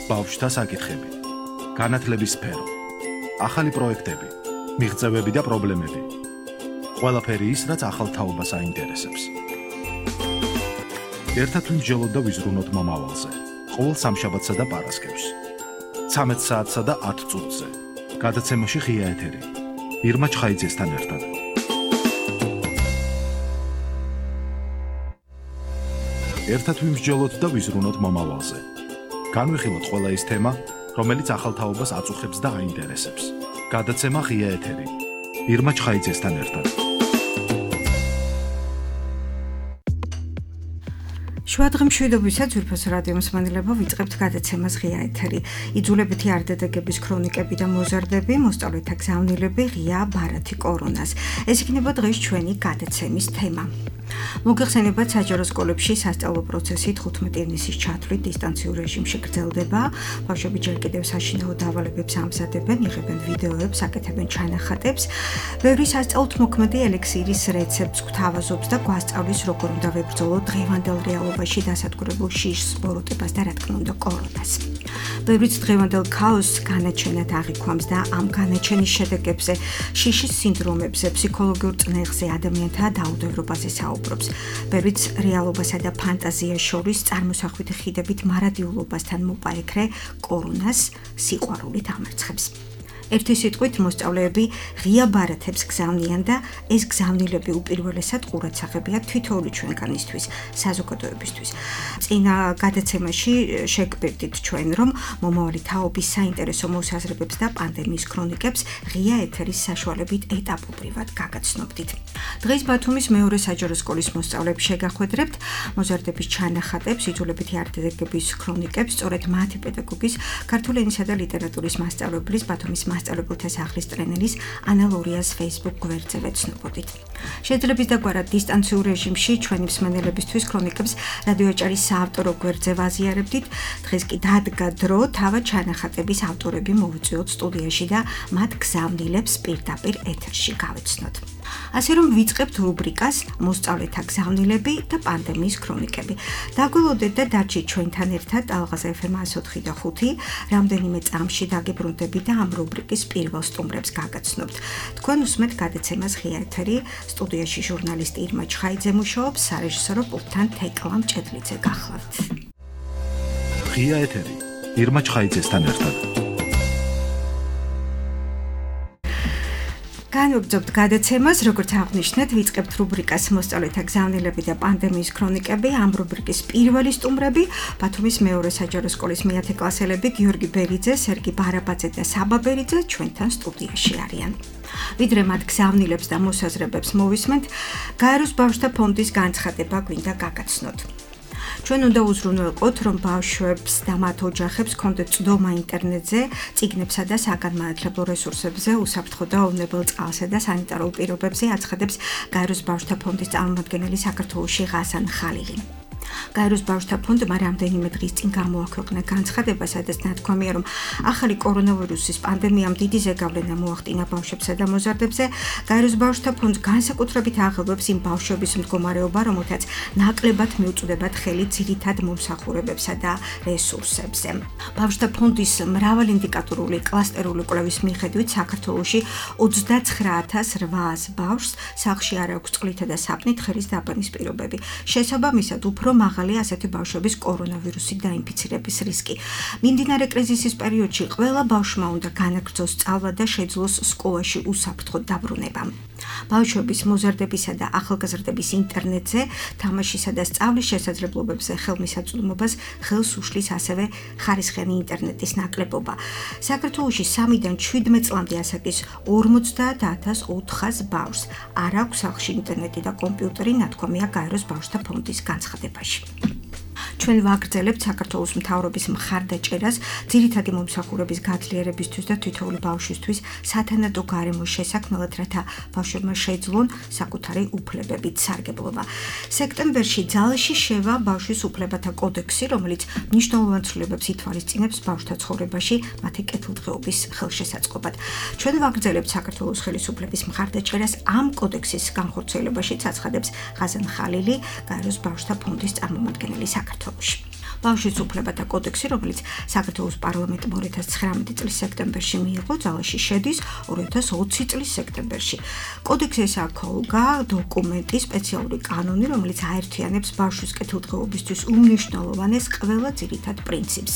ბავშვთა საკითხები, განათლების სფერო, ახალი პროექტები, მიღწევები და პრობლემები. ყველაფერი ის, რაც ახალ თაობას აინტერესებს. ერთად ვიმსჯელოთ და ვიზრუნოთ მომავალზე. ყოველ სამშაბათსა და პარასკევს. 13 საათსა და 10 წუთზე. გადაცემაში ღია ეთერი. ირმა ჩხაიძესთან ერთად. ერთად ვიმსჯელოთ და ვიზრუნოთ მომავალზე. განვიხილოთ ყველა ის თემა, რომელიც ახალ თაობას აწუხებს და აინტერესებს. გადაცემა ღია ეთერი. ირმა ჩხაიძესთან ერთად. შუადღე მშვიდობისა ძვირფას რადიო მსმენელებო, ვიწყებთ გადაცემას ღია ეთერი. იძულებითი არდადეგების ქრონიკები და მოზარდები, მოსწავლეთა გზავნილები, ღია ბარათი კორონას. ეს იქნება დღეს ჩვენი გადაცემის თემა. მოგეხსენებათ, საჯარო სკოლებში სასწავლო პროცესი 15 ივნისის ჩათვლით დისტანციურ რეჟიმში გრძელდება. ბავშვები ჯერ კიდევ საშინაო დავალებებს ამზადებენ, იღებენ ვიდეოებს, აკეთებენ ჩანახატებს. ბევრი სასწავლოდ მოქმედი ელექსირის რეცეპტს გვთავაზობს და გვასწავლის, როგორ უნდა ვებრძოლოთ დღევანდელ რეალობაში დასადგურებულ შიშს, ბოროტებას და რა თქმა უნდა კორონას. ბევრიც დღევანდელ ქაოსს განაჩენად აღიქვამს და ამ განაჩენის შედეგებზე, შიშის სინდრომებზე, ფსიქოლოგიურ წნეხზე, ადამიანთა დაუდევრობაზე საუბრობს. ბევრიც რეალობასა და ფანტაზიას შორის წარმოსახვითი ხიდებით მარადიულობასთან მოპაექრე კორონას სიყვარულით ამარცხებს. ერთი სიტყვით მოსწავლეები ღია ბარათებს გზავნიან და ეს გზავნილები უპირველესად ყურადსაღებია თითოეული ჩვენგანისთვის, საზოგადოებისთვის. წინა გადაცემაში შეგვერდით ჩვენ, რომ მომავალი თაობის საინტერესო მოსაზრებებს და პანდემიის ქრონიკებს ღია ეთერის საშუალებით ეტაპობრივად გაგაცნობდით. დღეს ბათუმის მეორე საჯარო სკოლის მოსწავლეებს შეგახვედრებთ მოზარდების ჩანახატებს, იძულებითი არდადეგების ქრონიკებს, სწორედ მათი პედაგოგის, ქართული ენისა და ლიტერატურის მასწავლებლის, ბათუმის მასწავლებელთა სახლის ტრენერის ანა ლურიას Facebook გვერდზე ვეცნობოდით. შეძლებს დაგვარად დისტანციურ რეჟიმში ჩვენი მსმენელებისთვის ქრონიკებს რადიო აჭარის საავტორო გვერდზე ვაზიარებდით. დღეს კი დადგა დრო თავად ჩანახატების ავტორები მოვიწვიოთ სტუდიაში და მათ გზავნილებს პირდაპირ ეთერში გავეცნოთ. ასე რომ ვიწყებთ რუბრიკას მოსწავლეთა გზავნილები და პანდემიის ქრონიკები. დაგველოდეთ და დარჩით ჩვენთან ერთად ალღაზა FM 104 და 5. რამდენიმე წამში დაგებრუნდებით და ამ რუბრიკის პირველ სტუმრებს გაგაცნობთ. თქვენ უსმენთ გადაცემას ღია ეთერი, სტუდიაში ჟურნალისტი ირმა ჩხაიძე მუშაობს, სარეჟისორო პულტთან თეკლა მჭედლიძე გახლავთ. ღია ეთერი, ირმა ჩხაიძესთან ერთად. განვაგრძობთ გადაცემას, როგორც აღნიშნეთ, ვიწყებთ რუბრიკას მოსწავლეთა გზავნილები და პანდემიის ქრონიკები. ამ რუბრიკის პირველი სტუმრები ბათუმის მეორე საჯარო სკოლის მე-10 კლასელები გიორგი ბერიძე, სერგი ბარაბაძე და საბა ბერიძე ჩვენთან სტუდიაში არიან. ვიდრე მათ გზავნილებს და მოსაზრებებს მოვისმენთ, გაეროს ბავშვთა ფონდის განცხადება გვინდა გაგაცნოთ. ჩვენ უნდა უზრუნველყოთ, რომ ბავშვებს და მათ ოჯახებს კონდეთ წვდომა ინტერნეტზე, წიგნებსა და საგანმანათლებლო რესურსებზე, უსაფრთხო და ოვნებელ წყალსა და სანიტარულ პირობებზე აცხადებს გაეროს ბავშვთა ფონდის წარმომადგენელი საქართველოში ღასან ხალილი. გაეროს ბავშვთა ფონდმა რამდენიმე დღის წინ გამოაქვეყნა განცხადება, სადაც ნათქვამია, რომ ახალი კორონავირუსის პანდემიამ დიდი ზეგავლენა მოახდინა ბავშვებსა და მოზარდებზე. გაეროს ბავშვთა ფონდს განსაკუთრებით აღელვებს იმ ბავშვების მდგომარეობა, რომელთაც ნაკლებად მიუწვდებათ ხელი ძირითად მომსახურებებსა და რესურსებზე. ბავშვთა ფონდის მრავალინდიკატორული კლასტერული კვლევის მიხედვით საქართველოში 29800 ბავშვს სახლში არ აქვს წყლითა და საპნით ხერის დაბანის პირობები. შესაბამისად, უფრო მაღალია ასეთი ბავშვების კორონავირუსით დაინფიცირების რისკი. მიმდინარე კრიზისის პერიოდში ყველა ბავშვმა უნდა განაგრძოს სწავლა და შეძლოს სკოლაში უსაფრთხო დაბრუნება. ბავშვების მოზარდებისა და ახალგაზრდების ინტერნეტზე, თამაშისა და სწავლის შესაძლებლობებზე ხელმისაწვდომობას ხელს უშლის ასევე ხარისხიანი ინტერნეტის ნაკლებობა. საქართველოში 3-დან 17 წლამდე ასაკის 50400 ბავშვს არ აქვს სახლში ინტერნეტი და კომპიუტერი, ნათქვამია გაეროს ბავშვთა ფონდის განცხადებაში. ჩვენ ვაგრძელებთ საქართველოს მთავრობის მხარდაჭერას ძირითადი მომსახურების გაძლიერებისთვის და თითოეული ბავშვისთვის სათანადო გარემოს შესაქმნელად, რათა ბავშვებმა შეძლონ საკუთარი უფლებებით სარგებლობა. სექტემბერში ძალში შევა ბავშვის უფლებათა კოდექსი, რომელიც მნიშვნელოვან ცვლილებებს ითვალისწინებს ბავშვთა ცხოვრებაში მათი კეთილდღეობის ხელშესაწყობად. ჩვენ ვაგრძელებთ საქართველოს ხელისუფლების მხარდაჭერას ამ კოდექსის განხორციელებაშიც, აცხადებს ღაზან ხალილი, გაეროს ბავშვთა ფონდის წარმომადგენელი საქართველოში. ბავშვის უფლებათა კოდექსი, რომელიც საქართველოს პარლამენტმა 2019 წლის სექტემბერში მიიღო, ძალაში შედის 2020 წლის სექტემბერში. კოდექსი ეს აქოლგა დოკუმენტი, სპეციალური კანონი, რომელიც აერთიანებს ბავშვის კეთილდღეობისთვის უმნიშვნელოვანეს ყველა ძირითად პრინციპს.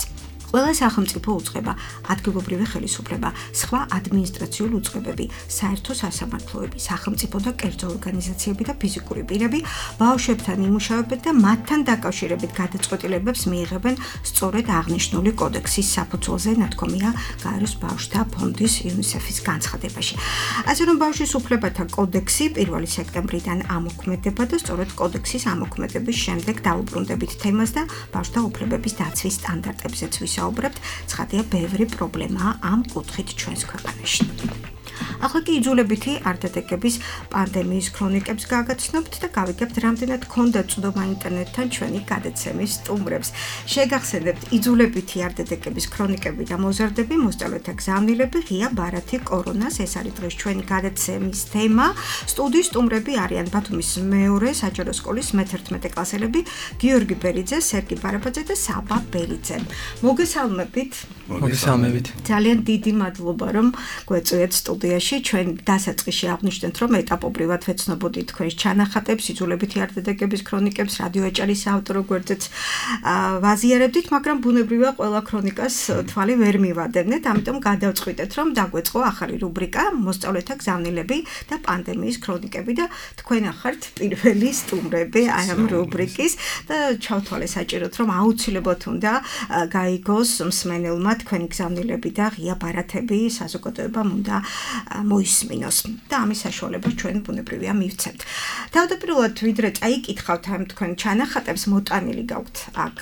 ყველა სახელმწიფო უწყება, ადგილობრივი ხელისუფლება, სხვა ადმინისტრაციული უწყებები, საერთო სასამართლოები, სახელმწიფო და კერძო ორგანიზაციები და ფიზიკური პირები ბავშვებთან იმუშავებენ და მათთან დაკავშირებით გადაწყვეტილებებს მიიღებენ სწორედ აღნიშნული კოდექსის საფუძველზე, ნათქვამია გაეროს ბავშვთა ფონდის UNICEF-ის განცხადებაში. ასე რომ ბავშვის უფლებათა კოდექსი 1 სექტემბრიდან ამოქმედება და სწორედ კოდექსის ამოქმედების შემდეგ დაუბრუნდებით თემას და ბავშვთა უფლებების დაცვის სტანდარტებზეც ვისაუბრებთ, ცხადია ბევრი პრობლემაა ამ კუთხით ჩვენს ქვეყანაში. ახლა კი იძულებითი არდადეგების პანდემიის ქრონიკებს გაგაცნობთ და გავიგებთ, რამდენად ჰქონდა წვდომა ინტერნეტთან ჩვენი გადაცემის სტუმრებს. შეგახსენებთ იძულებითი არდადეგების ქრონიკები და მოზარდები, მოსწავლეთა გზავნილები, ღია ბარათი კორონას. ეს არის დღეს ჩვენი გადაცემის თემა. სტუდიის სტუმრები არიან ბათუმის მეორე საჯარო სკოლის მე-11 კლასელები გიორგი ბერიძე, სერგი ბარაბაძე და საბა ბერიძე. მოგესალმებით. მოგესალმებით. ძალიან დიდი მადლობა, რომ გვეწვიეთ სტუდიაში. ჩვენ დასაწყისში აღნიშნეთ, რომ ეტაპობრივად ვეცნობოდით თქვენს ჩანახატებს, იძულებითი არდადეგების ქრონიკებს, რადიო ეჭარის საავტორო გვერდზეც ვაზიარებდით, მაგრამ ბუნებრივია ყველა ქრონიკას თვალი ვერ მივადევნეთ, ამიტომ გადავწყვიტეთ, რომ დაგვეწყო ახალი რუბრიკა მოსწავლეთა გზავნილები და პანდემიის ქრონიკები და თქვენ ახართ პირველი სტუმრები ამ რუბრიკის და ჩავთვალე საჭიროდ, რომ აუცილებლად უნდა გაიგოს მსმენელმა თქვენი გზავნილები და ღია ბარათები საზოგადოებამ უნდა მოისმინოს და ამის საშუალებას ჩვენ ბუნებრივია მივცემთ. თავდაპირველად ვიდრე წაიკითხავთ ამ თქვენ ჩანახატებს, მოტანილი გაქვთ აქ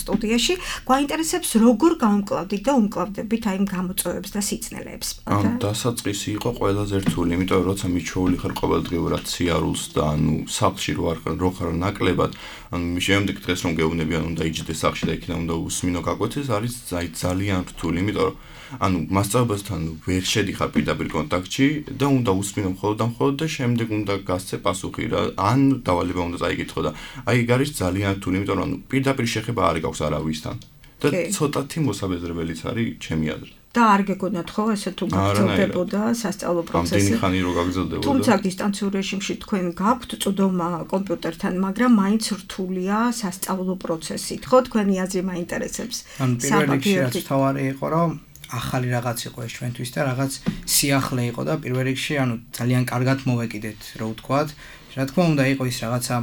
სტუდიაში, გვაინტერესებს როგორ გაუმკლავდით და უმკლავდებით აი ამ გამოწვევებს და სიცნელეებს. ამ დასაწყისი იყო ყველაზე რთული, იმიტომ რომ როცა მიჩვეული ხარ ყოველდღიურად სიარულს და ანუ სახლში რო ხარ ნაკლებად, ანუ შემდეგ დღეს რომ გეუბნებიან უნდა იჯდე სახლში და იქიდან უნდა უსმინო გაკვეთეს, არის ძალიან რთული, იმიტომ რომ ანუ მასწავლებელთან ვერ შედიხარ პირდაპირ კონტაქტში და უნდა უსმინო მხოლოდ და შემდეგ უნდა გასცე პასუხი რა ან დავალება უნდა წაიკითხო და აი ეგ არის ძალიან რთული, იმიტომ რომ პირდაპირ შეხება არ გაქვს არავისთან და ცოტათი მოსაბეზრებელიც არის ჩემი აზრით. და არ გეგონათ ხო ესე თუ გაგრძელდებოდა სასწავლო პროცესი. ამდენი ხანი რო გაგრძელდებოდა. თუმცა დისტანციურ რეჟიმში თქვენ გაქვთ წვდომა კომპიუტერთან, მაგრამ მაინც რთულია სასწავლო პროცესით. ხო, თქვენი აზრი მაინტერესებს. ანუ პირველ რიგში რაც თავარი იყო, რომ ახალი რაღაც იყო ეს ჩვენთვის და რაღაც სიახლე იყო და პირველ რიგში ანუ ძალიან კარგად მოვეკიდეთ, რო ვთქვათ. რა თქმა უნდა იყო ის რაღაცა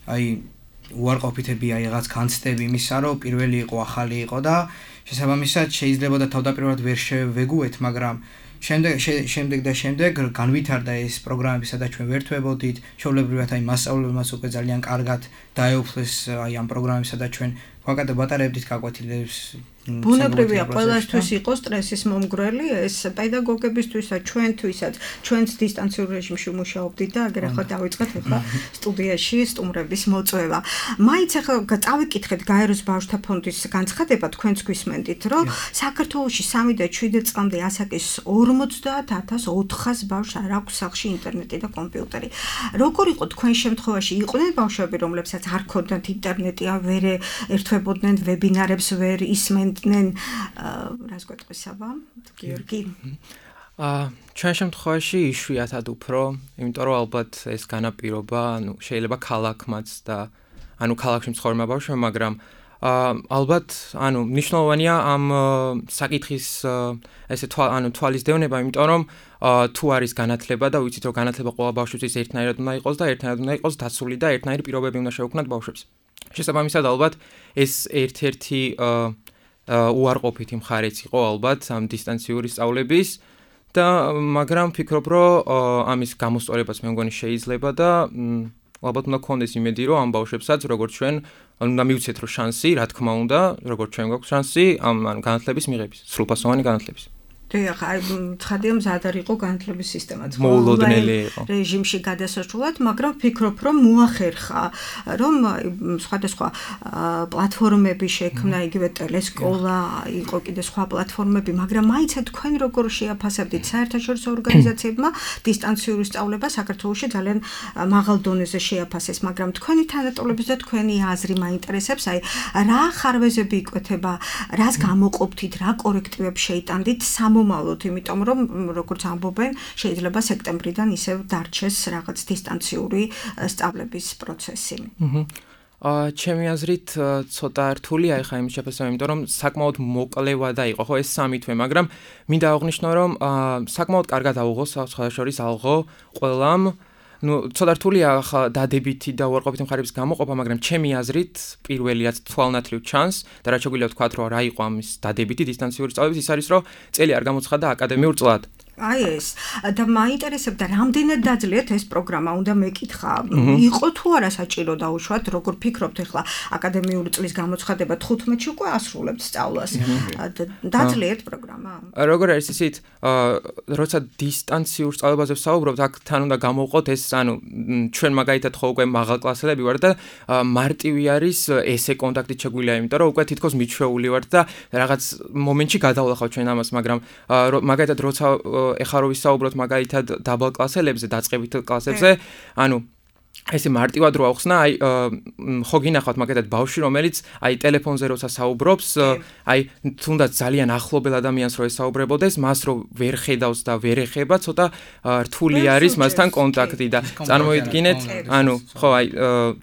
აი უარყოფითები, აი რაღაც განცდები იმისა, რომ პირველი იყო, ახალი იყო და შესაბამისად შეიძლება და თავდაპირველად ვერ შევეგუეთ, მაგრამ შემდეგ განვითარდა ეს პროგრამები, სადაც ჩვენ ვერთვებოდით, ჩვეულებრივად აი მასწავლებელს უკვე ძალიან კარგად დაეუფლეს აი ამ პროგრამებს, სადაც ჩვენ ვაკეთებდით გაკვეთილებს. ბუნებრივია, ყველასთვის იყო სტრესის მომგვრელი, ეს პედაგოგებისთვისაც, ჩვენთვისაც, ჩვენც დისტანციურ რეჟიმში მუშაობდით და აგერ ახლა დავიწყეთ ახლა სტუდიაში სტუმრების მოწვევა. მაინც ახლა წავიკითხეთ გაეროს ბავშვთა ფონდის განცხადება, თქვენც გვისმენდით, რომ საქართველოში 3 და 7 წლამდე ასაკის 50,400 ბავშვს არ აქვს სახლში ინტერნეტი და კომპიუტერი. როგორ იყო თქვენ შემთხვევაში? იყვნენ ბავშვები, რომლებსაც არ ჰქონდათ ინტერნეტი, ვერ ერთვებოდნენ ვებინარებს, ვერ ისმენდნენ რას გვეტყვის საბა? გიორგი. ჩვენ შემთხვევაში იშვიათად უფრო, იმიტომ რომ ალბათ ეს განაპირობა, ანუ შეიძლება ქალაქმაც და ანუ ქალაქში მცხოვრებმა ბავშვებმა, მაგრამ ალბათ, ანუ მნიშვნელოვანია ამ საკითხის ესე თვალის დევნება, იმიტომ რომ თუ არის განათლება და ვიცით რომ განათლება ყველა ბავშვისთვის ერთნაირად უნდა იყოს და ერთნაირად უნდა იყოს დაცული და ერთნაირი პირობები უნდა შეუქმნათ ბავშვებს. შესაბამისად ალბათ ეს ერთ-ერთი უარყოფითი მხარეც იყო ალბათ ამ დისტანციური სწავლების და მაგრამ ფიქრობ რომ ამის გამოსწორებაც მე მგონი შეიძლება და ალბათ უნდა გქონდეს იმედი რომ ამ ბავშვებსაც როგორც ჩვენ უნდა მივცეთ რომ შანსი, რა თქმა უნდა, როგორც ჩვენ გვაქვს შანსი ამ განათლების მიღების, სრულფასოვანი განათლების. დიახ, აი ცხადია მზად არ იყო განათლების სისტემაც. მოულოდნელი იყო. რეჟიმში გადასასვლელად, მაგრამ ვფიქრობ, რომ მოახერხა, რომ სხვადასხვა პლატფორმები შექმნა, იგივე ტელესკოლა, იყო კიდე სხვა პლატფორმები, მაგრამ მაინც თქვენ როგორ შეაფასებდით საერთაშორისო ორგანიზაციებმა დისტანციური სწავლება საქართველოში ძალიან მაღალ დონეზე შეაფასეს, მაგრამ თქვენი თანატოლების და თქვენი აზრი მაინტერესებს, აი რა ხარვეზები იკვეთება, რას გამოყოფთით, რა კორექტივებს შეიტანდით მომავლოთ, იმიტომ რომ როგორც ამბობენ, შეიძლება სექტემბრიდან ისევ დარჩეს რაღაც დისტანციური სწავლების პროცესი. ჩემი აზრით ცოტა რთულია ეხა იმის შეფასება, იმიტომ რომ საკმაოდ მოკლევადა იყო ხო ეს სამი თვე, მაგრამ მინდა აღვნიშნო, რომ საკმაოდ კარგად აუღო სხვადასხვა ალღო ყველამ. ცოტა რთულია ახლა დადებითი და უარყოფითი მხარეების გამოყოფა, მაგრამ ჩემი აზრით პირველიაც თვალნათლივ ჩანს და რაც შეგვიძლია ვთქვათ, რომ რა იყო ამის დადებითი დისტანციური სწავლების, ის არის, რომ წელი არ გამოცხადა აკადემიურ წლად. აი ეს და მაინტერესებდა რამდენად დაძლიათ ეს პროგრამა, უნდა მეკითხა, იყო თუ არა საჭირო დაუშვათ, როგორ ფიქრობთ ახლა აკადემიური წლის გამოცხადება 15-ში უკვე ასრულებთ სწავლას. დაძლიათ პროგრამა? როგორ არის ისიც, როცა დისტანციურ სწავლებაზე ვსაუბრობთ, აქ თან უნდა გამოვყოთ ეს, ანუ ჩვენ მაგალითად ხო უკვე მაღალკლასელები ვართ და მარტივი არის ესე კონტაქტით შეგვიძლია, იმიტომ რომ უკვე თითქოს მიჩვეული ვართ და რაღაც მომენტში გადავლახავთ ჩვენ ამას, მაგრამ მაგალითად როცა ეხლა რო ვისაუბროთ მაგალითად დაბალ კლასელებზე, დაწყებით კლასებზე, ანუ ესე მარტივად რო ახსნა, აი ხო გინახავთ მაგალითად ბავშვი, რომელიც აი ტელეფონზე როცა საუბრობს, აი თუნდაც ძალიან ახლობელ ადამიანს რო ესაუბრებოდეს, მას რო ვერ ხედავს და ვერ ეხება, ცოტა რთული არის მასთან კონტაქტი და წარმოიდგინეთ, ანუ ხო აი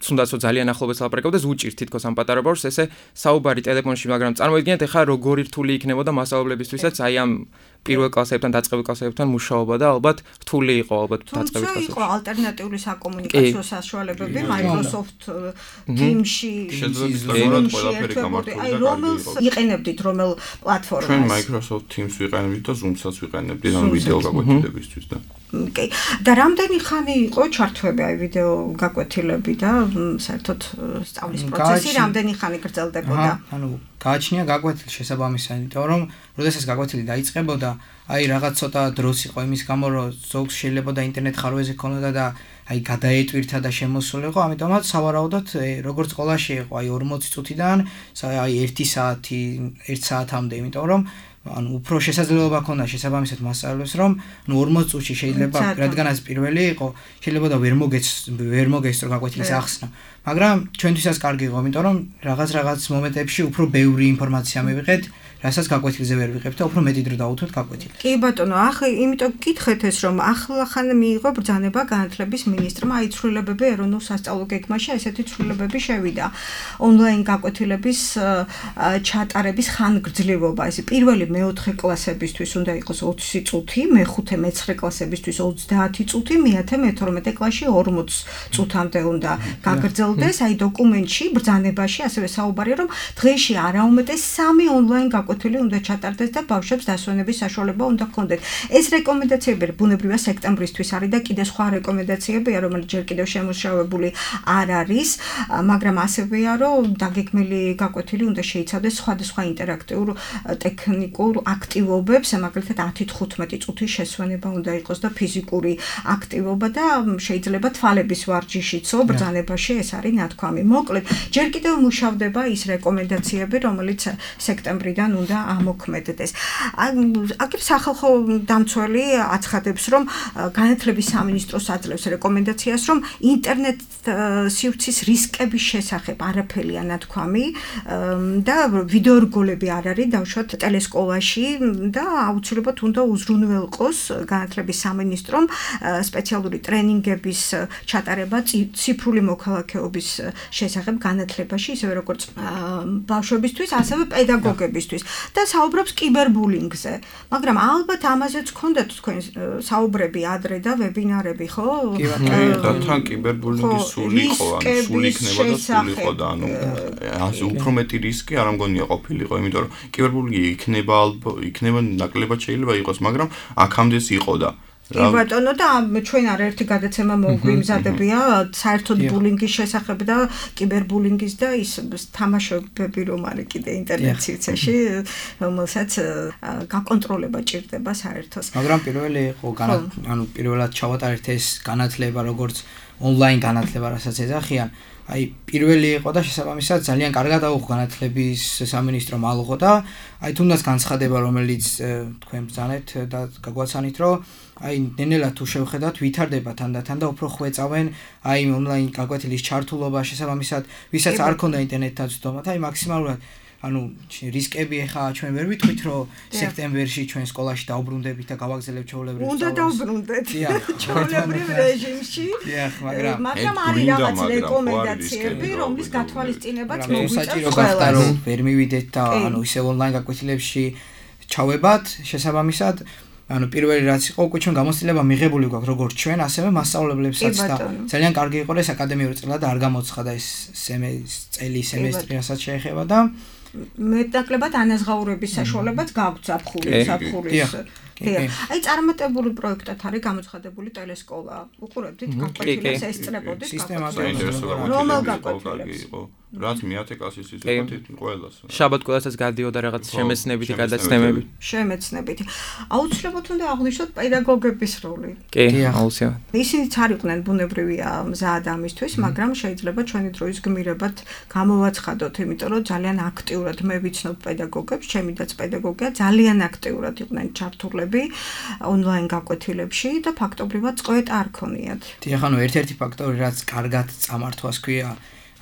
თუნდაც რო ძალიან ახლობელს ლაპარაკობდეს, უჭირთ თითქოს ამ პატარა ბავშვს ესე საუბარი ტელეფონში, მაგრამ წარმოიდგინეთ ეხლა როგორი რთული იქნებოდა მასწავლებლებისთვისაც აი ამ პირველ კლასებთან დაწყებულ კლასებთან მუშაობა და ალბათ რთული იყო ალბათ დაწყებით კლასებში. იყო ალტერნატიული საკომუნიკაციო საშუალებები Microsoft Teams-ში შესაძლოა ყველაფერი გამართული და რომელს იყენებდით რომელ პლატფორმას? ჩვენ Microsoft Teams ვიყენებდით და Zoom-საც ვიყენებდით ამ ვიდეო გაკვეთილებისთვის და კი. და რამდენი ხანი იყო ჩართვები აი ვიდეო გაკვეთილები და საერთოდ სწავლის პროცესი რამდენი ხანი გრძელდებოდა? ანუ გააჩნია გაკვეთილი შესაბამისად, იმიტომ რომ როდესაც გაკვეთილი დაიწყებოდა, აი რაღაც ცოტა დროს იყო იმის გამო, რომ ზოგს შეიძლება და ინტერნეტ ხარვეზე ქონოდა და აი გადაეტვირთა და შემოსულიყო, ამიტომაც სავარაუდოდ როგორც სკოლაში იყო აი 40 წუთიდან აი 1 საათი 1 საათამდე, იმიტომ რომ ანუ უფრო შესაძლებლობა ქონდა შესაბამისად მასწავლებლებს, რომ ნუ 40 წუთში შეიძლება, რადგანაც პირველი იყო, შეიძლება და ვერ მოგესწრო გაკვეთილის ახსნა. მაგრამ ჩვენთვისაც კარგი იყო, იმიტომ რომ რაღაც მომენტებში უფრო ბევრი ინფორმაცია მივიღეთ, რასაც გაკვეთილზე ვერ ვიღებთ და უფრო მეტი დრო დავუთოთ გაკვეთილს. კი ბატონო, ახლა იმიტომ გითხეთ ეს, რომ ახლახან მიიღო ბრძანება განათლების მინისტრმა, აი ცვლილებები ეროვნულ სასწავლო გეგმაში, ესეთი ცვლილებები შევიდა. ონლაინ გაკვეთილების ჩატარების ხანგრძლივობა, ეს პირველი მე-4 კლასებისთვის უნდა იყოს 20 წუთი, მე-5 მე-9 კლასებისთვის 30 წუთი, მე-10 მე-12 კლასში 40 წუთამდე უნდა გაგრძელდეს. აი დოკუმენტში, ბრძანებაში ასევე საუბარია, რომ დღეში არაუმეტეს 3 ონლაინ გაკვეთილი უნდა ჩატარდეს და ბავშვებს დასვენების საშუალება უნდა ჰქონდეთ. ეს რეკომენდაციები ბუნებრივია სექტემბრისთვის არის და კიდე სხვა რეკომენდაციებია, რომელიც ჯერ კიდევ შემუშავებული არ არის, მაგრამ ასევეა, რომ დაგეგმილი გაკვეთილი უნდა შეიცავდეს სხვადასხვა ინტერაქტიულ ტექნიკურ აქტივობებს, მაგალითად 10-15 წუთის შესვენება უნდა იყოს და ფიზიკური აქტივობა და შეიძლება თვალების ვარჯიშიცო ბრძანებაში ეს არის ნათქვამი. მოკლედ, ჯერ კიდევ მუშავდება ის რეკომენდაციები, რომელიც სექტემბრიდან უნდა ამოქმედდეს. აქ სახალხო დამცველი აცხადებს, რომ განათლების სამინისტროს აძლევს რეკომენდაციას, რომ ინტერნეტ სივრცის რისკების შესახებ არაფერია ნათქვამი და ვიდეო რგოლები არ არის დავუშვათ ტელესკოლაში და აუცილებლად უნდა უზრუნველყოს განათლების სამინისტრომ სპეციალური ტრენინგების ჩატარება ციფრული მოქალაქეობის შესახებ განათლებაში, ისევე როგორც ბავშვებისთვის, ასევე პედაგოგებისთვის და საუბრობს კიბერბულინგზე. მაგრამ ალბათ ამაზეც გქონდათ თქვენ საუბრები ადრე და ვებინარები, ხო? კი, და თან კიბერბულინგი სული იყო, ანუ სული იქნება და სული იყო და ანუ ასე უფრო მეტი რისკი არ ამგონია ყოფილიყო, იმიტომ რომ კიბერბულინგი იქნება ნაკლებად შეიძლება იყოს, მაგრამ აქამდეც იყო და კი ბატონო და ჩვენ არაერთი გადაცემა მოგვიმზადებია საერთოდ ბულინგის შესახებ და კიბერბულინგის და ის თამაშობები რომ არის კიდე ინტერნეტ სივრცეში რომელსაც გაკონტროლება ჭირდება საერთოს. მაგრამ პირველი იყო პირველად ჩავატარეთ ეს განათლება როგორც ონლაინ განათლება, რასაც ეძახიან. აი პირველი იყო და შესაბამისად ძალიან კარგად აუღო განათლების სამინისტრო მალღო და აი თუნდაც განცხადება რომელიც თქვენ ბრძანეთ და გაგვაცანით რომ აი ნენელა თუ შევხედათ ვითარდება თანდათან და უფრო ხვეწავენ აი ონლაინ გაკვეთილის ჩართულობა შესაბამისად ვისაც არ ქონდა ინტერნეტთან ცდომა და აი მაქსიმალურად რისკები ახლა ჩვენ ვერ ვიტყვით რომ სექტემბერში ჩვენ სკოლაში დაუბრუნდებით და გავაგზავნებთ ჩვეულებრივ უნდა დაუბრუნდეთ ჩვეულებრივ რეჟიმში მაგრამ არის რაღაც რეკომენდაციები რომლის გათვალისწინებაც საჭირო გახდა რომ ვერ მივიდეთ და ისე ონლაინ გაკვეთილებში ჩავებათ შესაბამისად პირველი რაც იყო უკვე ჩვენ გამოცდილება მიღებული გვაქვს როგორც ჩვენ ასევე მასწავლებლებსაც და ძალიან კარგი იყო ეს აკადემიური წელა და არ გამოცხადა ეს სემესტრი რასაც შეეხება და მეტნაკლებად ანაზღაურების საშუალებაც გაგვთ ზაფხულის აი წარმატებული პროექტად არის გამოცხადებული ტელესკოლა უყურებდით გაკვეთილებს ესწრებოდით რომელ გაკვეთილებს რაც მე-10 კლასის ისეთ ყველას შაბათ ყველასაც გადიოდა რაღაც შემეცნებითი გადაცემები შემეცნებითი აუცილებლად უნდა აღვნიშნოთ პედაგოგების როლი კი აუცილებლად ისინიც არ იყვნენ ბუნებრივია მზად ამისთვის მაგრამ შეიძლება ჩვენი დროის გმირებად გამოვაცხადოთ იმიტომ რომ ძალიან აქტიურად მე ვიცნობ პედაგოგებს ჩემი დაც პედაგოგია ძალიან აქტიურად იყვნენ ჩართულები ონლაინ გაკვეთილებში და ფაქტობრივად წყვეტ არ ქონიათ დიახ ანუ ერთ-ერთი ფაქტორი რაც კარგად წამართვას ქვია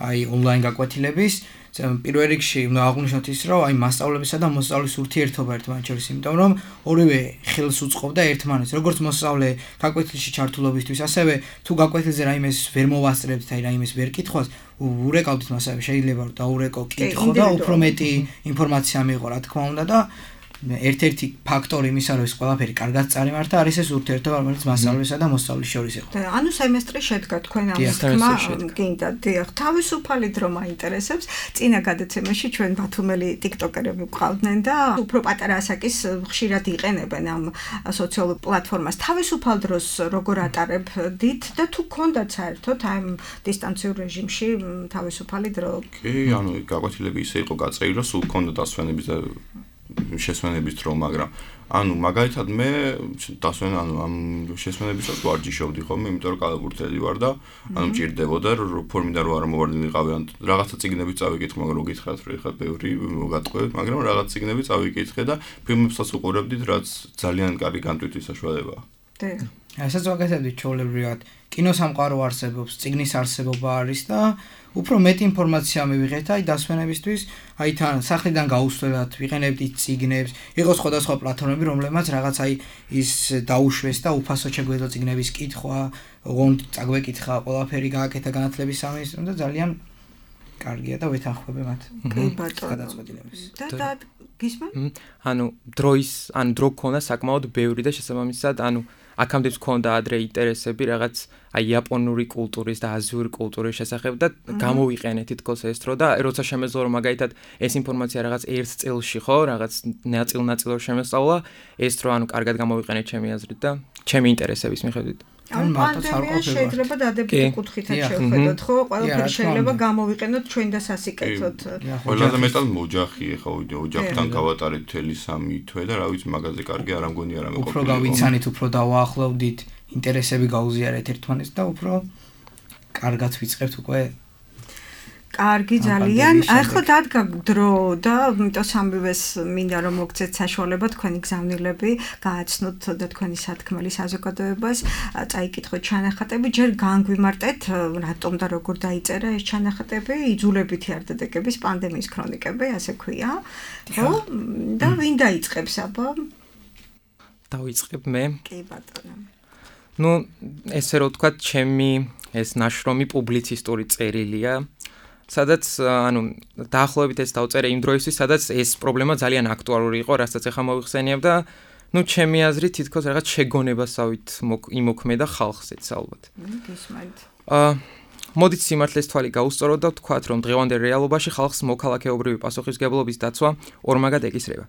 აი ონლაინ გაკვეთილების პირველ რიგში უნდა აღვნიშნოთ ის რომ აი მასწავლებისა და მოსწავლის ურთიერთობა ერთმანეთს შორის იმიტომ რომ ორივე ხელს უწყობდა ერთმანეთს როგორც მოსწავლე გაკვეთილში ჩართულობისთვის ასევე თუ გაკვეთილზე რაიმეს ვერ მოვასწრებთ აი რაიმეს ვერ კითხვას ურეკავთ მასავე შეიძლება რომ დაურეკო კითხო და უფრო მეტი ინფორმაცია მიიღო რა თქმა უნდა და ერთ-ერთი ფაქტორი იმისა რომ ეს ყველაფერი კარგად წარიმართა არის ეს ურთიერთობა რომელიც მასწავლებლისა და მოსწავლის შორის იყო. ანუ სემესტრი შედგა თქვენ ამ თქმა გინდა დიახ თავისუფალი დრო მაინტერესებს წინა გადაცემაში ჩვენ ბათუმელი ტიკტოკერები ვყავდნენ და უფრო პატარა ასაკის ხშირად იყენებენ ამ სოციალურ პლატფორმას თავისუფალ დროს როგორ ატარებდით და თუ გქონდათ საერთოდ ამ დისტანციურ რეჟიმში თავისუფალი დრო? კი ანუ გაკვეთილები ისე იყო გაწერილი რომ სულ გქონდა დასვენების და შესვენების დრო, მაგრამ ანუ მაგალითად მე ამ შესვენებისას ვარჯიშობდი ხოლმე, იმიტომ რომ კალაბურთელი ვარ და ანუ მჭირდებოდა რომ ფორმიდან რომ არ მოვარდინიყავი, ან რაღაცა წიგნები წავიკითხე, მაგრამ რო გითხრათ რომ ეხლა ბევრი მოგატყვევით, მაგრამ რაღაც წიგნები წავიკითხე და ფილმებსაც უყურებდით, რაც ძალიან კარგი განტვირთვის საშუალებაა. ასაც ვაკეთებდით ჩვეულებრივად. კინოსამყარო არსებობს, წიგნის არსებობა არის და უფრო მეტი ინფორმაცია მივიღეთ აი დასვენებისთვის, აი თან სახლიდან გაუსვლელად ვიყენებდით წიგნებს, იყო სხვადასხვა პლატფორმები, რომლებმაც რაღაც აი ის დაუშვეს და უფასო შეგვეძლო წიგნების კითხვა, ოღონდ წაგვეკითხა, ყველაფერი გააკეთა განათლების სამინისტრომ და ძალიან კარგია და ვეთანხმები მათ. კი ბატონო. გადაწყვეტილებას. და გისმენთ? ანუ დრო გქონდა საკმაოდ ბევრი და შესაბამისად ანუ აქამდეც გქონდა ადრე ინტერესები რაღაც აი იაპონური კულტურის და აზიური კულტურის შესახებ და გამოვიყენეთ თითქოს ეს დრო და როცა შემეძლო რომ მაგალითად ეს ინფორმაცია რაღაც ერთ წელში ხო რაღაც ნაწილ-ნაწილად შემესწავლა ეს დრო ანუ კარგად გამოვიყენეთ ჩემი აზრით და ჩემი ინტერესების მიხედვით ან პანდემია შეიძლება დადებითი კუთხითაც შევხედოთ ხო ყველაფერი შეიძლება გამოვიყენოთ ჩვენ და სასიკეთოდ ყველაზე მეტად ოჯახი ხო ოჯახთან გავატარეთ თელი 3 თვე და რა ვიცი მაგაზე კარგი არ ამგონი არა მეყოფილი უფრო გავიცანით უფრო დავაახლოვდით ინტერესები გაუზიარეთ ერთმანეთს და უფრო კარგად ვიწყებთ უკვე კარგი ძალიან. ახლა დადგა დრო და იმიტომ სამივეს მინდა რომ მოგცეთ საშუალება თქვენი გზავნილები გააცნოთ და თქვენი სათქმელი საზოგადოებას წაიკითხოთ ჩანახატები, ჯერ განგვიმარტეთ რატომ და როგორ დაიწერა ეს ჩანახატები, იძულებითი არდადეგების პანდემიის ქრონიკები, ასე ქვია. ხო? და ვინ დაიწყებს აბა? დავიწყებ მე. კი ბატონო. ნუ ესე რომ ვთქვათ, ჩემი ეს ნაშრომი პუბლიცისტური წერილია. სადაც ანუ დაახლოებით ეს დავწერე იმ დროისთვის, სადაც ეს პრობლემა ძალიან აქტუალური იყო, რასაც ახლა მოვიხსენიებ და ნუ ჩემი აზრით თითქოს რაღაც შეგონებასავით იმოქმედა ხალხზეც ალბათ. გისმენთ. მოდით სიმართლეს თვალი გაუსწოროთ და ვთქვათ, რომ დღევანდელ რეალობაში ხალხს მოქალაქეობრივი პასუხისმგებლობის დაცვა ორმაგად ეკისრება.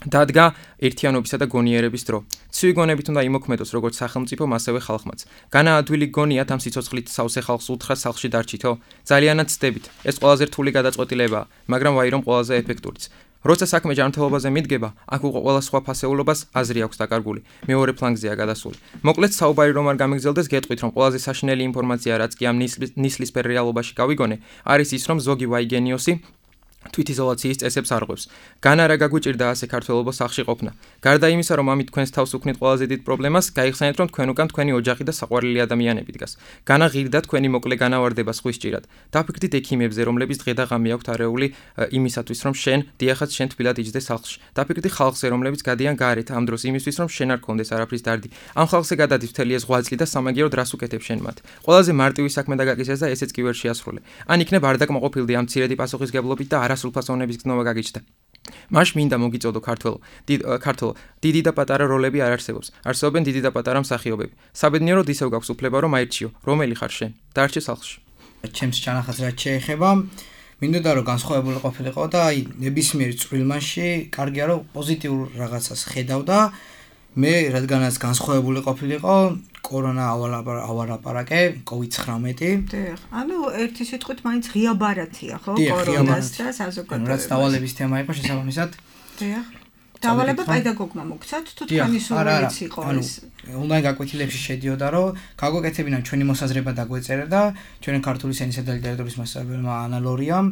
დადგა ერთიანობისა და გონიერების დრო. ცივი გონებით უნდა იმოქმედოს როგორც სახელმწიფომ, ასევე ხალხმაც. განაადვილი გონიათ ამ სიცოცხლით სავსე ხალხს უთხრას სახლში დარჩითო? ძალიანაც ცდებით. ეს ყველაზე რთული გადაწყვეტილებაა, მაგრამ ვაი რომ ყველაზე ეფექტურიც. როცა საქმე ჯანმრთელობაზე მიდგება, აქ უკვე ყველა სხვა ფასეულობას აზრი აქვს დაკარგული. მეორე ფლანგზეა გადასული. მოკლედ საუბარი რომ არ გამიგზელდეს, გეტყვით რომ ყველაზე საშინელი ინფორმაცია, რაც კი ამ ნისლისფერ რეალობაში გავიგონე, არის ის რომ ზოგი ვაიგენიოსი თვითიზოლაციის წესებს არღვევს. განა რა გაგვიჭირდა ასე ქართველობა სახლში ყოფნა. გარდა იმისა, რომ ამით თქვენს თავს უქმნით ყველაზე დიდ პრობლემას, გაიხსენეთ, რომ თქვენ უკან თქვენი ოჯახი და საყვარელი ადამიანები დგას. განა ღირდა თქვენი მოკლე განავარდება სხვის ჭირად. დაფიქრდით ექიმებზე, რომლების დღე და ღამე აქვთ არეული იმისათვის, რომ შენ დიახაც შენ თბილად იჯდე სახლში. დაფიქრდით ხალხზე, რომლებიც გადიან გარეთ ამ დროს იმისთვის, რომ შენ არ გქონდეს არაფრის დარდი. ამ ხალხზე გადადის მთელი ეს ღვაწლი და სამაგიეროდ რას უკეთებ შენ მათ. ყველაზე მარტივი საქმე დაგაკისრეს და ესეც კი ვერ შეასრულე. ან იქნებ არ დაკმაყოფილდი ამ მცირედი პასუხისგებლობით და სრულფასოვნების გზნობა გაგიჩნდა. მაშ მინდა მოგიწოდო ქართველო, დიდი და პატარა როლები არ არსებობს. არსებობენ დიდი და პატარა მსახიობები. საბედნიეროდ ისევ გაქვს უფლება რომ აირჩიო, რომელი ხარ შენ. დარჩე სახლში. ჩემს ჩანახატს რაც შეეხება, მინდოდა რომ განსხვავებული ყოფილიყო და აი ნებისმიერ წვრილმანში კარგია რომ პოზიტიურ რაღაცას ხედავდა. მე რადგანაც განსხვავებული ყოფილიყო, კორონა ავარაპარაკე, COVID-19. დიახ. ანუ ერთი სიტყვით მაინც ღია ბარათია, ხო? კორონას და საზოგადოებას. რაც დავალების თემა იყო შესაბამისად. დიახ. დავალება პედაგოგმა მოგცათ, თუ თქვენი სურვილიც იყო ეს. ონლაინ გაკვეთილებში შედიოდა, რომ გაგვეკეთებინა ჩვენი მოსაზრება დაგვეწერა და ჩვენი ქართული ენისა და ლიტერატურის მასწავლებელმა ანა ლორიამ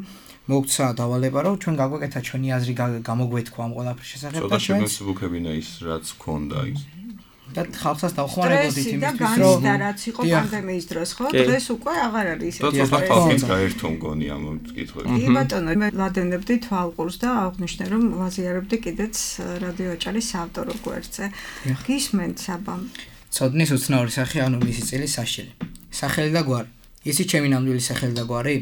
მოგცა დავალება, რომ ჩვენ გაგვეკეთა ჩვენი აზრი გამოგვეთქვა ამ ყველაფრის შესახებ და ჩვენ შეგვეცებუქებინა ის რაც გქონდა ის. და ხალხსაც დავხმარებოდით იმისთვის, რომ და რაც იყო პანდემიის დროს, ხო? დღეს უკვე აღარ არის ისეთი. და ცოტა ხალხიც გაერთო მგონი ამ კითხვებში. კი ბატონო, მე ვადენებდი თვალყურს და აღვნიშნე რომ ვაზიარებდი კიდეც რადიო აჭარის საავტორო გვერდზე. გისმენთ საბამ. ცოდნის უცნაური სახე, ანუ მისი წელი საშელი. სახელი და გვარი. ისი ჩემი ნამდვილი სახელი და გვარი?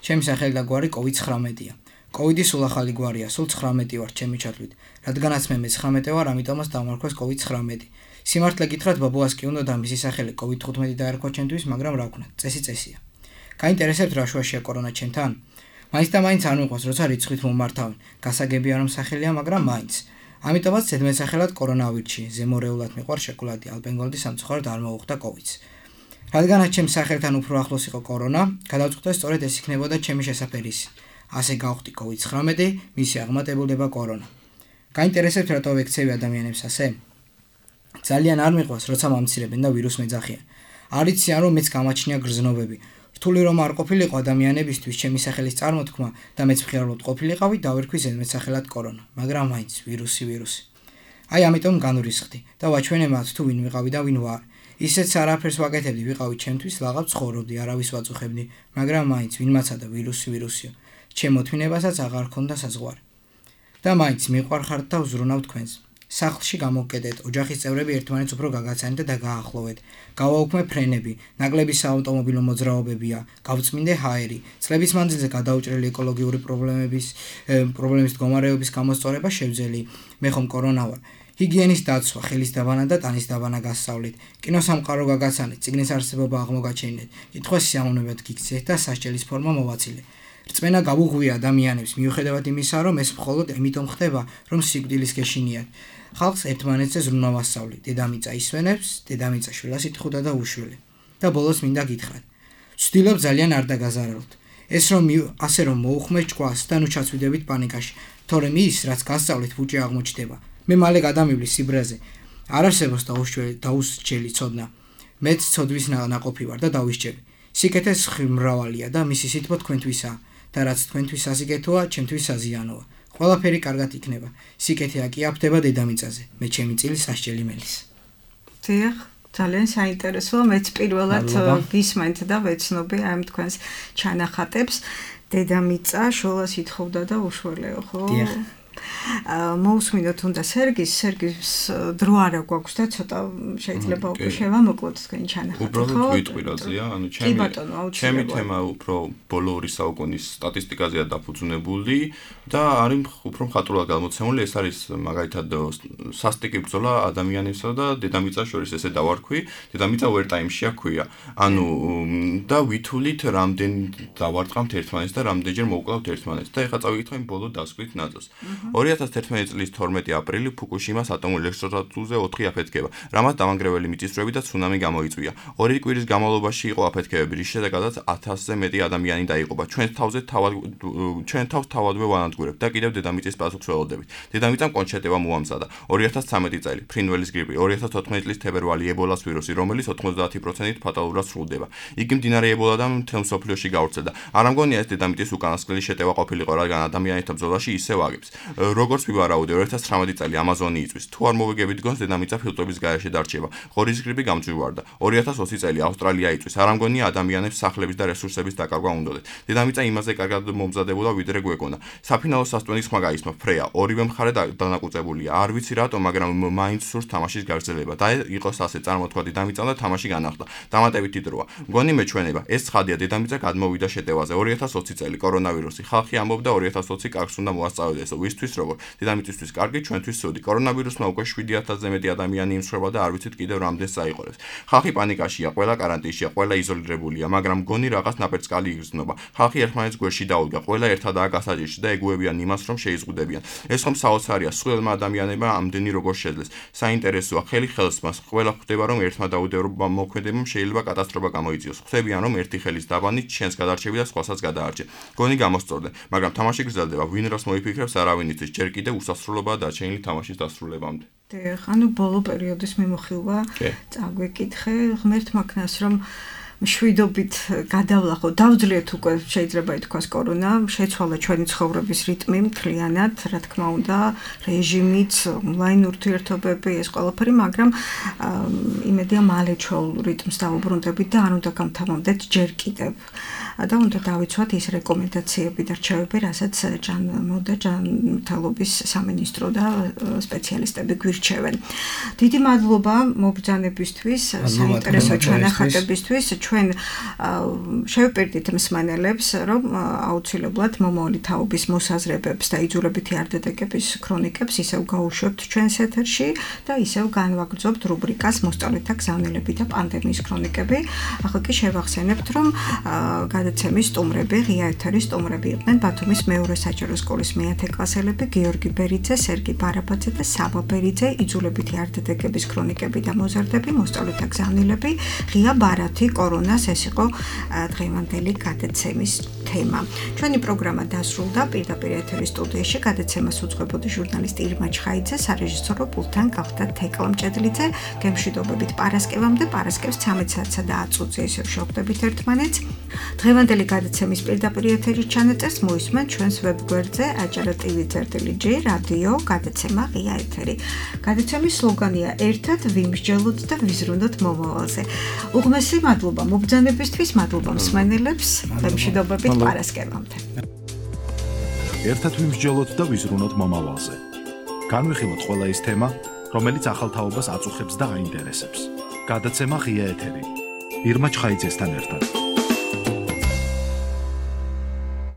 ჩემი სახელი და გვარი COVID-19-ია. COVID-ი სულ ახალი გვარია, სულ 19 ვარ ჩემი ჩათვლით. რადგანაც მე 19 ვარ, ამიტომაც დამარქვეს COVID-19. სიმართლე გითხრათ, ბაბუას კი უნდა და მისი სახელი COVID-15 დაერქვა ჩემთვის, მაგრამ რა ვქნათ, წესია. გაინტერესებთ რა შუაშია კორონა ჩემთან? მაინც და მაინც არ მიყვარს, როცა რიცხვით მომართავენ. გასაგებია რომ სახელია, მაგრამ მაინც. ამიტომაც ზედმეტსახელად კორონა ვირჩი, ზემორეულად მიყვარს შოკოლადი, ალპენგოლდი სამწუხაროდ არ მოუხდა COVID-ს. რადგანაც ჩემს სახელთან უფრო ახლოს იყო კორონა, გადავწყვიტე სწორედ ეს იქნებოდა ჩემი შესაფერისი. ასე გავხდი COVID-19, მისი აღმატებულება კორონა. გაინტერესებთ რატო ვექცევი ადამიანებს ასე? ძალიან არ მიყვარს, როცა მომცირებენ და ვირუსს მეძახიან. არ იციან რომ მეც გამაჩნია გრძნობები. რთული რომ არ ყოფილიყო ადამიანებისთვის ჩემი სახელის წარმოთქმა და მეც მხიარულად ყოფილიყავი, დავერქვი ზედმეტსახელად კორონა, მაგრამ მაინც ვირუსი. აი ამიტომ განვრისხდი და ვაჩვენე მათ თუ ვინ ვიყავი და ვინ ვარ. ისეც არაფერს ვაკეთებდი, ვიყავი ჩემთვის, ლაღავ ცხოვრობდი, არავის ვაწუხებდი, მაგრამ მაინც ვინმაცა და ვირუსიო. ჩემ მოთმინებასაც აღარ ქონდა საზღვარი. და მაინც მიყვარხართ და ვზრუნავ თქვენს. სახლში გამოგკეტეთ, ოჯახის წევრები ერთმანეთს უფრო გაგაცანეთ და გააახლოვეთ. გავაუქმე ფრენები, ნაკლები საავტომობილო მოძრაობებია, გავწმინდე ჰაერი, წლების მანძილზე გადაუჭრელი ეკოლოგიური პრობლემის მდგომარეობის გამოსწორება შევძელი. მე ხომ კორონა ვარ. ჰიგიენის დაცვა, ხელის დაბანა და ტანის დაბანა გასწავლით. კინოსამყარო გაგაცანეთ, წიგნის არსებობა აღმოგაჩენილეთ. კითხვას სიამოვნებად გიქცეთ და სასჯელის ფორმა მოვაცილე. რწმენა გავუღვია ადამიანებს, მიუხედავად იმისა, რომ ეს მხოლოდ იმიტომ ხდება, რომ სიკვდილის გეშინიათ. ხალხს ერთმანეთზე ზრუნვა ვასწავლი. დედამიწა ისვენებს, დედამიწა შვილას იტყუდა და უშველი. და ბოლოს მინდა გითხრათ. ვცდილობ ძალიან არ დაგაზარალოთ. ეს რომ ასე რომ მოუხმეთ ჭკუას და ნუ ჩაცვიდებით პანიკაში. თორემ ის, რაც გასწავლით, ბუჭი აღმოჩნდება. მე მალე გადამივლი სიბრაზე. არ არსებობს დაუსჯელი ცოდნა. მეც ცოდვის ნაყოფი ვარ და დავისჯები. სიკეთე მრავალია და მისი სითბო თქვენთვისაა. და რაც თქვენთვის სასიკეთოა, ჩემთვის საზიანოა. ყველაფერი კარგად იქნება. სიკეთე აკიაფდება დედამიწაზე. მე ჩემი წილი სასჯელი მელის. დიახ, ძალიან საინტერესოა. მეც პირველად გისმენთ და ვეცნობი ამ თქვენს ჩანახატებს. დედამიწა შოლას ითხოვდა და უშველეო, ხო? დიახ. მოусმინოთ უნდა სერგის დრო არა გვაქვს და ცოტა შეიძლება უკვე შევამოკლოთ თქვენი ჩანახატი, ხო? უბრალოდ ვიტყვი რაზეა, ანუ ჩემი თემა უფრო ბოლო 2 საუკუნის სტატისტიკაზეა დაფუძნებული და არის უფრო მხატვრულად გამოცემული. ეს არის მაგალითად სასტიკი ბრძოლა ადამიანებსა და დედამიწას შორის, ესე დავარქვი. დედამიწა overtime-ში აქვია. ანუ და ვითვლით რამდენ დავარტყამთ ერთმანეთს და რამდენჯერ მოვკლავთ ერთმანეთს და ეხლა წავიკითხავ იმ ბოლო დასკვნით ნაწილს. 2011 წლის 12 აპრილი ფუკუშიმას ატომურ ელექტროსტატიაზე 4 აფეთქება, რამაც დამანგრეველი მიწისძვრები და ცუნამი გამოიწვია. 2 კვირის განმავლობაში იყო აფეთქებები, რის შედეგადაც 1000-ზე მეტი ადამიანი დაიღუპა. ჩვენ თავს თავადვე ვანადგურებთ და კიდევ დედამიწის პასუხს ველოდებით. დედამიწამ კონჩეტება მოამზადა. 2013 წელი ფრინველის გრიპი, 2014 წლის თებერვალი ებოლას ვირუსი, რომელიც 90%-ით ფატალურად სრულდება. იგი მდინარე ებოლადან მთელ მსოფლიოში გავრცელდა. არ ამგონია ეს დედამიწის უკანასკნელი შეტევა ყოფილიყო, რადგან ადამიანთა ბრძოლაში ისევ აგებს. როგორც ვივარაუდე, 2019 წელი ამაზონი იწვის. თუ არ მოვიგებით დგონს, დედამიწა ფილტრების გარეშე დარჩება. ღორის გრიპი გამძვირვარდა. 2020 წელი ავსტრალია იწვის. არ ამგონია ადამიანებს სახლების და რესურსების დაკარგვა უნდოდათ. დედამიწა იმაზე კარგად მომზადებულა, ვიდრე გვეკონა. საფინალო სასტვენის ხმა გაისმა ფრეა. ორივე მხარე დანაკვწებულია. არ ვიცი რატომ, მაგრამ მაინც სურს თამაშის გაგრძელება. და იყოს ასე, წარმოთქვა დედამიწამ და თამაში განახლდა. დამატებითი დროა. მგონი მეჩვენება, ეს ცხადია, დედამიწა გადმოვიდა შეტევაზე. 2020 წელი კორონავირუსი. ხალხი ამბობდა 2020 კარგს უნდა მოასწავლოს. ვისთვის როგორ? დედამიწისთვის კარგი, ჩვენთვის ცუდი. კორონავირუსმა უკვე 7000-ზე მეტი ადამიანი იმსხვრება და არ ვიცით კიდევ რამდენს წაიყოლებს. ხალხი პანიკაშია, ყველა კარანტინშია, ყველა იზოლირებულია, მაგრამ მგონი რაღაც ნაპერწკალი იგრძნობა. ხალხი ერთმანეთს გვერდში დაუდგა, ყველა ერთადაა გასაჭირში და ეგუებიან იმას, რომ შეიზღუდებიან. ეს ხომ საოცარია, სრულმა ადამიანებმა ამდენი როგორ შეძლეს. საინტერესოა, ხელი ხელს მას, ყველა ხვდება, რომ ერთმა დაუდევრობა მოქმედებამ შეიძლება კატასტროფა გამოიწვიოს. ხვდებიან, რომ ერთი ხელის დაბანით შენს გადარჩები და სხვასაც გადაარჩე. გონი გამოსწორდე, მაგრამ თამაში გრძელდება, ვინ რას მოიფიქრებს, არავინ იცის, ჯერ კიდევ უსასრულობაა დაჩენილი თამაშის დასრულებამდე. ანუ ბოლო პერიოდის მიმოხილვა წაგვეკითხე ღმერთმა ქნას, რომ მშვიდობით გადავლახო, დავძლიეთ უკვე შეიძლება ითქვას კორონა, შეცვალა ჩვენი ცხოვრების რიტმი მთლიანად, რა თქმა უნდა, რეჟიმიც, ონლაინ ურთიერთობები, ეს ყველაფერი, მაგრამ იმედია მალე ჩვეულ რიტმს დავუბრუნდებით და არ უნდა გამთავამდეთ ჯერ კიდევ. და უნდა დავიცვათ ის რეკომენდაციები და რჩევები, რასაც ჯანმრთელობის სამინისტრო და სპეციალისტები გვირჩევენ. დიდი მადლობა მობრძანებისთვის, საინტერესო ჩანახატებისთვის. ჩვენ შევპირდით მსმენელებს, რომ აუცილებლად მომავალი თაობის მოსაზრებებს და იძულებითი არდადეგების ქრონიკებს ისევ გაუშვებთ ჩვენს ეთერში და ისევ განვაგრძობთ რუბრიკას მოსწავლეთა გზავნილები და პანდემიის ქრონიკები. ახლა კი შევახსენებთ, რომ გადაცემის სტუმრები, ღია ეთერის სტუმრები იყვნენ ბათუმის მეორე საჯარო სკოლის მე-10 კლასელები გიორგი ბერიძე, სერგი ბარაბაძე და საბა ბერიძე, იძულებითი არდადეგების ქრონიკები და მოზარდები, მოსწავლეთა გზავნილები, ღია ბარათი კორონას, ეს იყო დღევანდელი გადაცემის თემა. ჩვენი პროგრამა დასრულდა, პირდაპირ ეთერის სტუდიაში გადაცემას უძღვებოდი ჟურნალისტი ირმა ჩხაიძე, სარეჟისორო პულტთან გავხდა თეკლა მჭედლიძე. გემშვიდობებით პარასკევამდე, პარასკევს 13 საათსა და 10 წუთზე ისევ შევხვდებით ერთმანეთს. დღევანდელი გადაცემის პირდაპირ ეთერის ჩანაწერს მოისმენთ ჩვენს ვებგვერდზე acara.tv/G რადიო გადაცემა ღია ეთერი. გადაცემის სლოგანია ერთად ვიმსჯელოთ და ვიზრუნოთ მომავალზე. უღმესი მადლობა მობრძანებისთვის, მადლობა მსმენელებს, გემშვიდობებით პარასკევამდე. ერთად ვიმსჯელოთ და ვიზრუნოთ მომავალზე. განვიხილოთ ყველა ის თემა, რომელიც ახალ თაობას აწუხებს და აინტერესებს. გადაცემა ღია ეთერი. ირმა ჩხაიძესთან ერთად.